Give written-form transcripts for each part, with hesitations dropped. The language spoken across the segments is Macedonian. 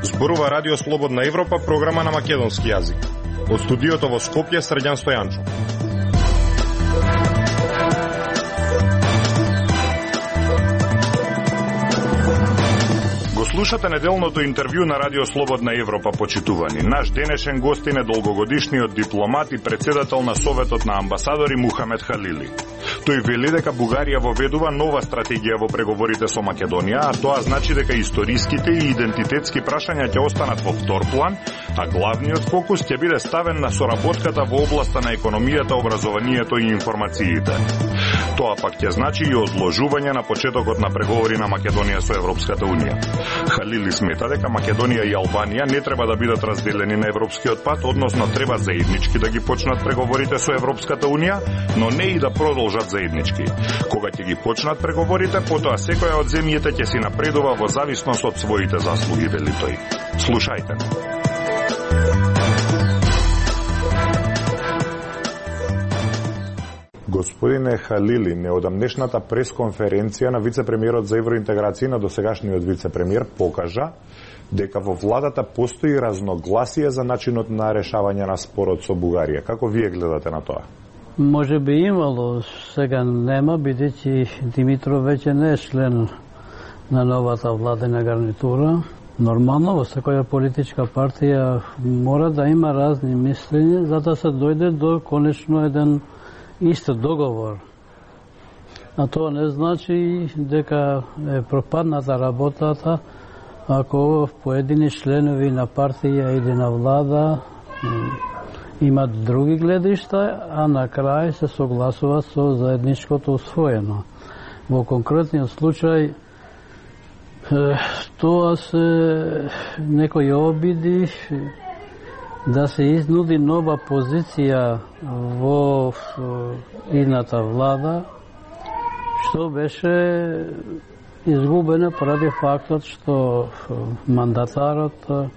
Зборува Радио Слободна Европа, програма на македонски јазик. Од студиото во Скопје, Срđan Стојанчов. Го слушате неделното интервју на Радио Слободна Европа, почитувани. Наш денешен гостин е долгогодишниот дипломат и председател на Советот на амбасадори Мухамед Халили. Тој вели дека Бугарија воведува нова стратегија во преговорите со Македонија, а тоа значи дека историските и идентитетски прашања ќе останат во втор план, а главниот фокус ќе биде ставен на соработката во областа на економијата, образованието и информациите. Тоа пак ќе значи и одложување на почетокот на преговори на Македонија со Европската Унија. Халили смета дека Македонија и Албанија не треба да бидат разделени на европскиот пат, односно треба заеднички да ги почнат преговорите со Европската Унија, но не и да продолжат заеднички. Кога ќе ги почнат преговорите, потоа секоја од земјите ќе си напредува во зависност од своите заслуги, вели тој. Слушајте. Господине Халили, неодамнешната пресконференција на вице-премиерот за евроинтеграција на досегашниот вице-премиер покажа дека во владата постои разногласие за начинот на решавање на спорот со Бугарија. Како вие гледате на тоа? Може би имало, сега нема, бидејќи Димитров веќе не е член на новата владена гарнитура. Нормално во секоја политичка партија мора да има разни мислења за да се дојде до конечно еден ист договор. А тоа не значи дека е пропадната работата ако поедини членови на партија или на влада имат други гледишта, а на крај се согласува со заедничкото усвоено. Во конкретниот случај тоа се некои обиди да се изнуди нова позиција во идната влада, што беше изгубена поради фактот што мандатарот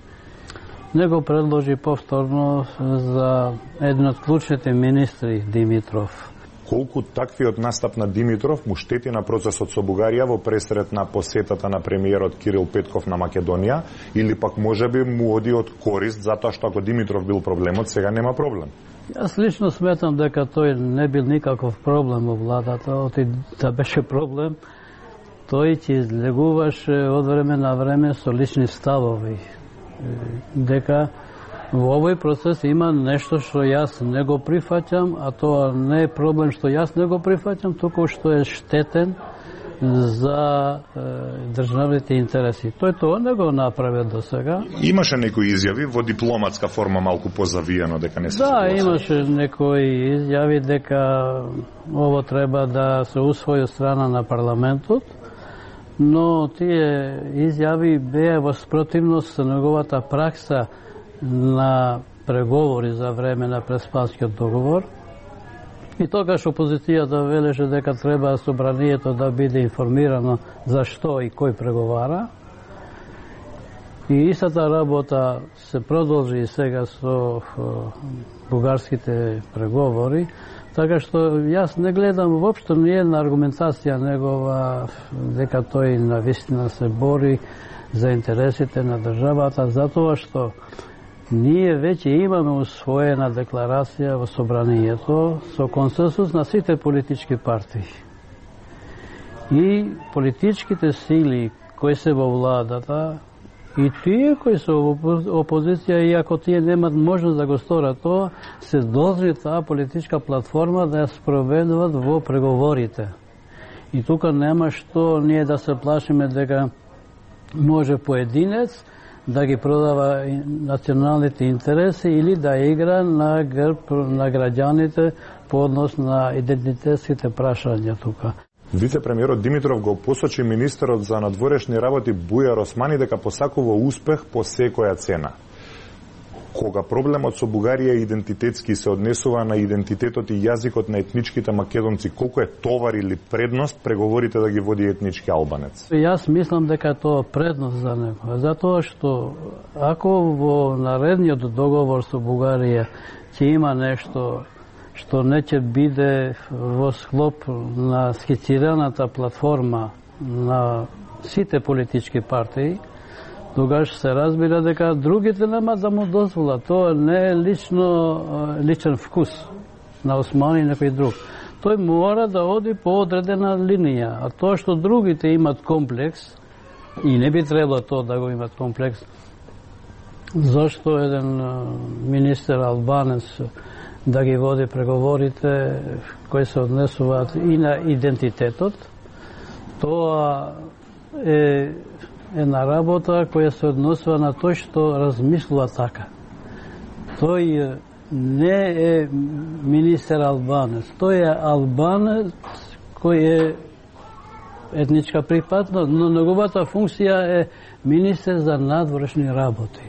не го предложи повторно за еден од клучните министри Димитров. Колку таквиот настап на Димитров му штети на процесот со Бугарија во пресрет на посетата на премиерот Кирил Петков на Македонија, или пак можеби му оди од корист затоа што ако Димитров бил проблемот, сега нема проблем? Јас лично сметам дека тој не бил никаков проблем во владата, оти да беше проблем, тој ќе излегуваше од време на време со лични ставови. Дека во овој процес има нешто што јас не го прифаќам, а тоа не е проблем што јас не го прифаќам, туку што е штетен за државните интереси. Тој тоа не го направи до сега. Имаше некои изјави во дипломатска форма малку позавиено дека не се согласува. Да, имаше некои изјави дека ово треба да се усвои од страна на парламентот, но тие изјави беа во спротивност со неговата пракса на преговори за време на Преспанскиот договор. И тогаш опозицијата велеше дека треба собранието да биде информирано за што и кој преговара. И истата работа се продолжи и сега со бугарските преговори, така што јас не гледам воопшто ниједна аргументација негова дека тој навистина се бори за интересите на државата, затоа што ние веќе имаме усвоена декларација во собранието со консенсус на сите политички партии. И политичките сили кои се во владата и тие кои се во опозиција, иако тие немат можност да го сторат тоа, се должни таа политичка платформа да ја спроведуваат во преговорите. И тука нема што ние да се плашиме дека може поединец да ги продава националните интереси или да игра на грб на граѓаните по однос на идентитетските прашања тука. Вице-премиерот Димитров го посочи министерот за надворешни работи Бујар Османи дека посакува успех по секоја цена. Кога проблемот со Бугарија идентитетски се однесува на идентитетот и јазикот на етничките македонци, колку е товар или предност преговорите да ги води етнички албанец? Јас мислам дека тоа предност за него, затоа што ако во наредниот договор со Бугарија ќе има нешто што не ќе биде во склоп на скицираната платформа на сите политички партии, тогаш се разбира дека другите нема да му дозволат. Тоа не е личен вкус на Осман и некој друг. Тој мора да оди по одредена линија, а тоа што другите имат комплекс, и не би требало тоа да го имат комплекс, зашто еден министер албанец да ги води преговорите кои се однесуваат и на идентитетот, тоа е една работа која се однесува на тој што размислува така. Тој не е министер албанец, тој е албанец кој е етничка припадност, но неговата функција е министер за надворешни работи.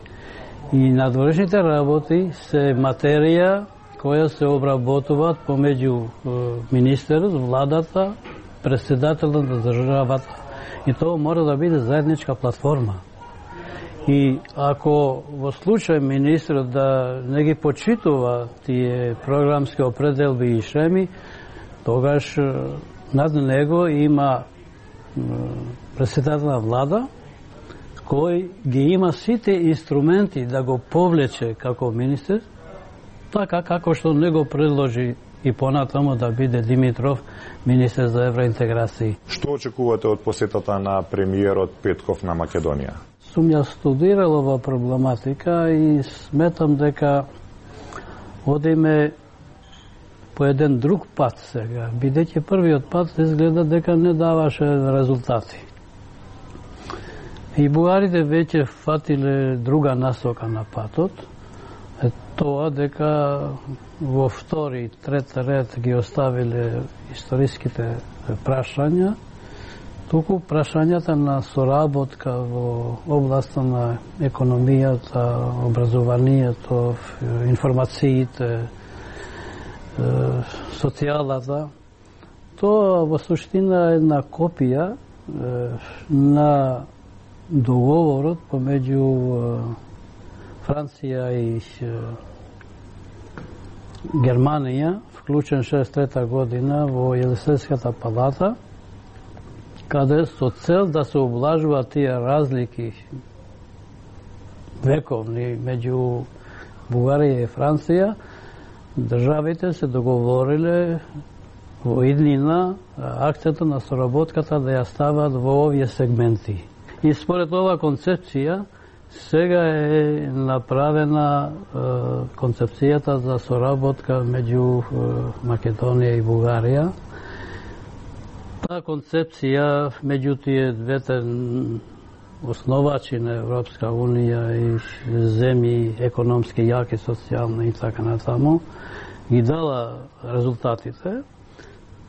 И надворешните работи се материја која се обработуваат помеѓу министерот, владата, председателот на државата. И тоа мора да биде заедничка платформа. И ако во случај министерот да не ги почитува тие програмски определби и шеми, тогаш над него има председател на влада кој ги има сите инструменти да го повлече како министер, така како што не го предложи и понатаму да биде Димитров министер за евроинтеграција. Што очекувате од посетата на премиерот Петков на Македонија? Сум ја студирал ова проблематика и сметам дека одиме по еден друг пат сега, бидејќи првиот пат изгледа дека не даваше резултати. И бугарите веќе фатиле друга насока на патот, тоа дека во втори и трет ред ги оставиле историските прашања, туку прашањата на соработка во областа на економијата, образованието, информациите, социјалата, тоа во суштина е една копија на договорот помеѓу Франција и Германија, вклучен 63 година во Елисејската палата, каде со цел да се облажуваат тие разлики вековни меѓу Бугарија и Франција, државите се договориле во иднина акцентот на соработката да ја стават во овие сегменти. И според ова концепција, сега е направена концепцијата за соработка меѓу Македонија и Бугарија. Таа концепција меѓу тие двете основачи на Европска унија и земји економски јаки, социјални и така натаму, ги дала резултатите.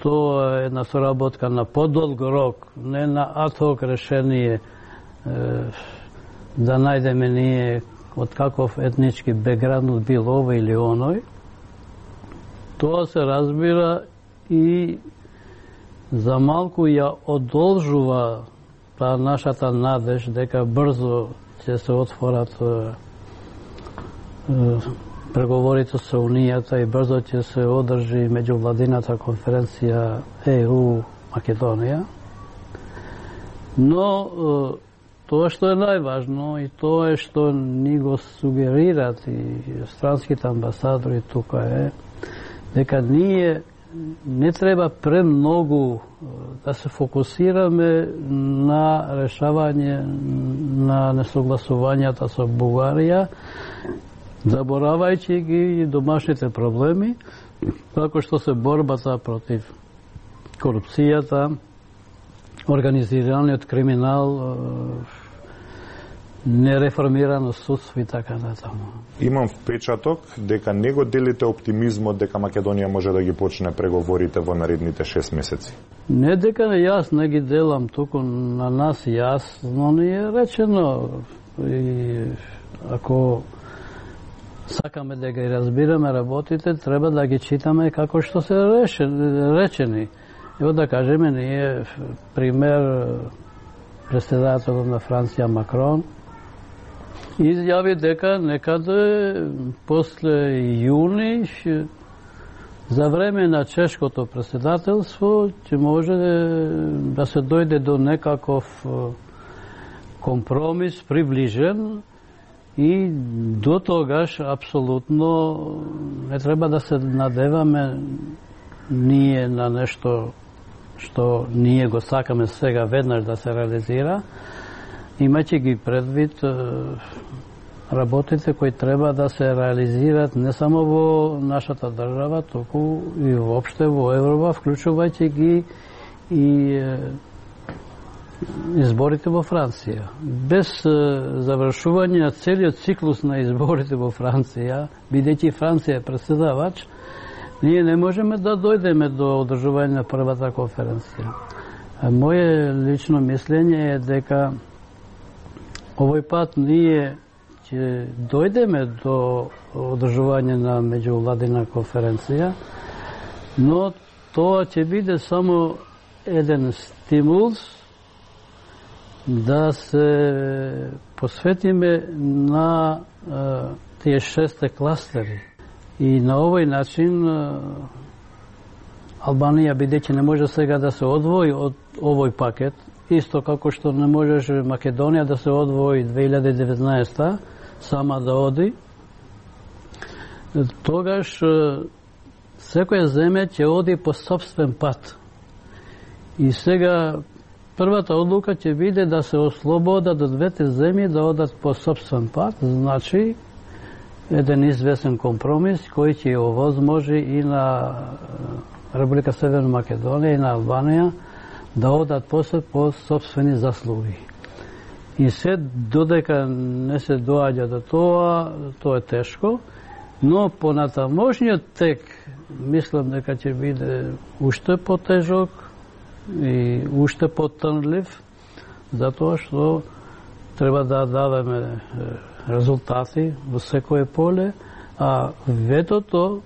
Тоа е една соработка на подолг рок, не на ad-hoc решение да најдеме ние од каков етнички бекграунд бил овој или оној. Тоа се разбира и за малку ја одолжува таа нашата надеж дека брзо ќе се отворат преговорите со Унијата и брзо ќе се одржи меѓувладината конференција ЕУ Македонија. Но тоа што е најважно и тоа е што ни го сугерират и странските амбасадори тука е дека ние не треба премногу да се фокусираме на решавање на несогласувањата со Бугарија, заборавајќи ги домашните проблеми, како што се борбата против корупцијата, организираниот криминал, нереформирано судство и така натаму. Имам впечаток дека не го делите оптимизмот дека Македонија може да ги почне преговорите во наредните 6 месеци. Не дека јас не ги делам, туку на нас јасно ни е речено. И ако сакаме да ги разбираме работите, треба да ги читаме како што се речени. Ево да кажеме, ние пример председателот на Франција Макрон изјави дека некаде после јуни За време на чешкото председателство ќе може да се дојде до некаков компромис приближен и до тогаш апсолутно не треба да се надеваме ние на нешто што ние го сакаме сега веднаш да се реализира, имајќи ги предвид работите кои треба да се реализират не само во нашата држава, туку и воопште во Европа, вклучувајќи ги и изборите во Франција. Без завршување на целиот циклус на изборите во Франција, бидејќи Франција е претседавач, ние не можеме да дојдеме до одржување на првата конференција. Моје лично мислење е дека овој пат ние ќе дојдеме до одржување на меѓувладина конференција, но тоа ќе биде само еден стимул да се посветиме на тие 6 кластери. И на овој начин Албанија, бидејќи не може сега да се одвои од овој пакет, исто како што не можеше Македонија да се одвои 2019 сама да оди, тогаш секоја земја ќе оди по сопствен пат. И сега првата одлука ќе биде да се ослободат од двете земји да одат по сопствен пат, значи еден известен компромис кој ќе овозможи и на Република Северна Македонија и на Албанија да одат после по сопствени заслуги. И се додека не се доаѓа до тоа е тешко, но понатамошниот тек мислам дека ќе биде уште потежок и уште потонлив, затоа што треба да даваме резултати во секое поле, а ветото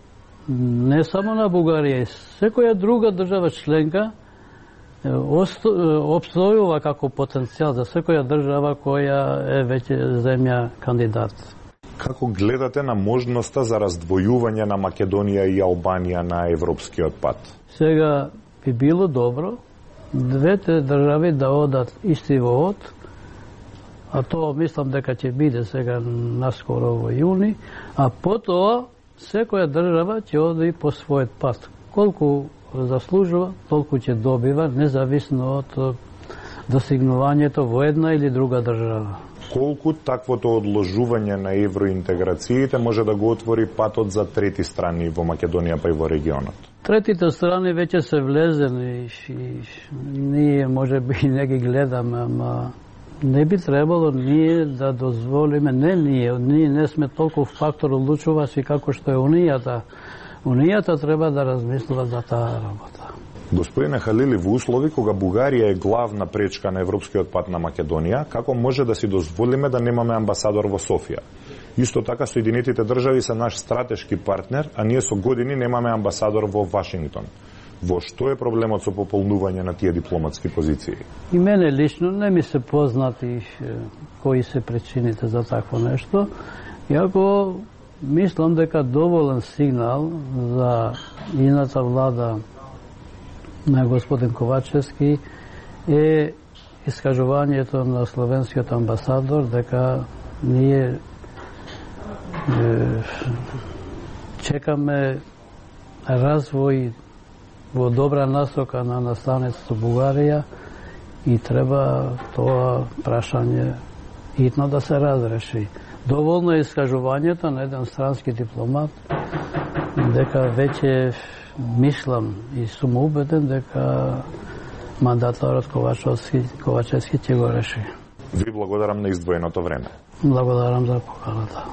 не само на Бугарија, и секоја друга држава членка обстојува како потенцијал за секоја држава која е веќе земја кандидат. Како гледате на можноста за раздвојување на Македонија и Албанија на европскиот пат? Сега би било добро двете држави да одат исти во од, а тоа мислам дека ќе биде сега наскоро во јуни, а потоа секоја држава ќе оди по својот пат. Колку заслужува, толку ќе добива, независно од достигнувањето во една или друга држава. Колку таквото одложување на евроинтеграциите може да го отвори патот за трети страни во Македонија па и во регионот? Третите страни веќе се влезени и ние може би не ги гледаме, ама не би требало ние да дозволиме, ние не сме толку фактор одлучувачи како што е Унијата. Унијата треба да размислува за таа работа. Господине Халили, во услови кога Бугарија е главна пречка на европскиот пат на Македонија, како може да си дозволиме да немаме амбасадор во Софија? Исто така Соединетите држави се наш стратешки партнер, а ние со години немаме амбасадор во Вашингтон. Во што е проблемот со пополнување на тие дипломатски позиции? И мене лично не ми се познати кои се причините за такво нешто, иако мислам дека доволен сигнал за ината влада на господин Ковачевски е искажувањето на словенскиот амбасадор дека ние чекаме развој во добра насока на настанецот Бугарија и треба тоа прашање хитно да се разреши. Доволно е искажувањето на еден странски дипломат дека веќе мислам и сум убеден дека мандаторот Ковачевски ќе го реши. Ви благодарам на издвоеното време. Благодарам за поканата.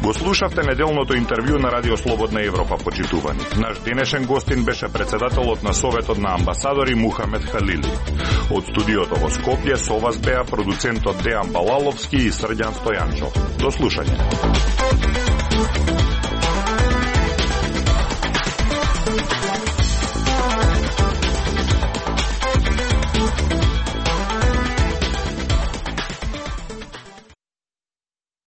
Го слушавте неделното интервју на Радио Слободна Европа, почитувани. Наш денешен гостин беше председателот на Советот на амбасадори Мухамед Халили. Од студиото во Скопје со вас беа продуцентот Дејан Балаловски и Срđan Стојанчов. До слушање.